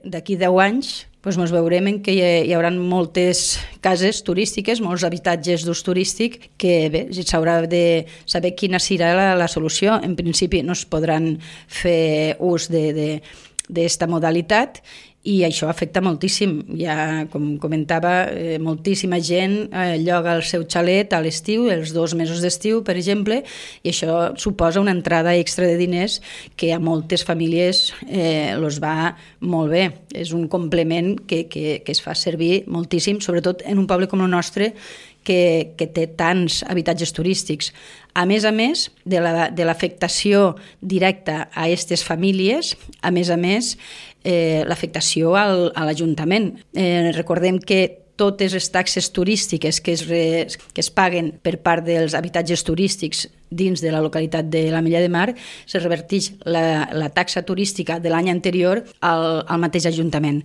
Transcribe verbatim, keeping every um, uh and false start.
d'aquí deu anys doncs ens veurem en què hi, hi haurà moltes cases turístiques, molts habitatges d'ús turístic, que bé, s'haurà de saber quina serà la, la solució. En principi no es podran fer ús d'esta modalitat i això afecta moltíssim. Ja, com comentava, eh, moltíssima gent eh, lloga el seu xalet a l'estiu, els dos mesos d'estiu, per exemple, i això suposa una entrada extra de diners que a moltes famílies eh, els va molt bé. És un complement que, que, que es fa servir moltíssim, sobretot en un poble com el nostre, que, que té tants habitatges turístics. A més a més de la, de l'afectació directa a aquestes famílies, a més a més, eh, l'afectació al, a l'Ajuntament. Eh, recordem que totes les taxes turístiques que es, re, que es paguen per part dels habitatges turístics dins de la localitat de l'Ametlla de Mar, se reverteix la, la taxa turística de l'any anterior al, al mateix Ajuntament.